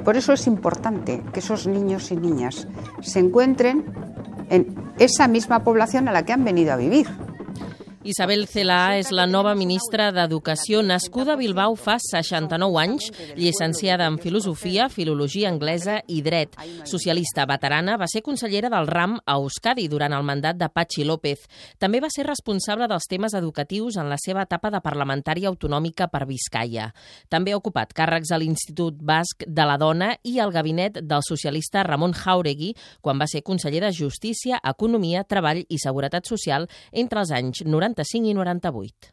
Por eso es importante que esos niños y niñas se encuentren en esa misma población a la que han venido a vivir. Isabel Celaá és la nova ministra d'Educació, nascuda a Bilbao fa 69 anys, llicenciada en Filosofia, Filologia Anglesa i Dret. Socialista veterana, va ser consellera del RAM a Euskadi durant el mandat de Patxi López. També va ser responsable dels temes educatius en la seva etapa de parlamentària autonòmica per Biscaia. També ha ocupat càrrecs a l'Institut Basc de la Dona i al gabinet del socialista Ramon Jáuregui, quan va ser conseller de Justícia, Economia, Treball i Seguretat Social entre els anys 95 i 98.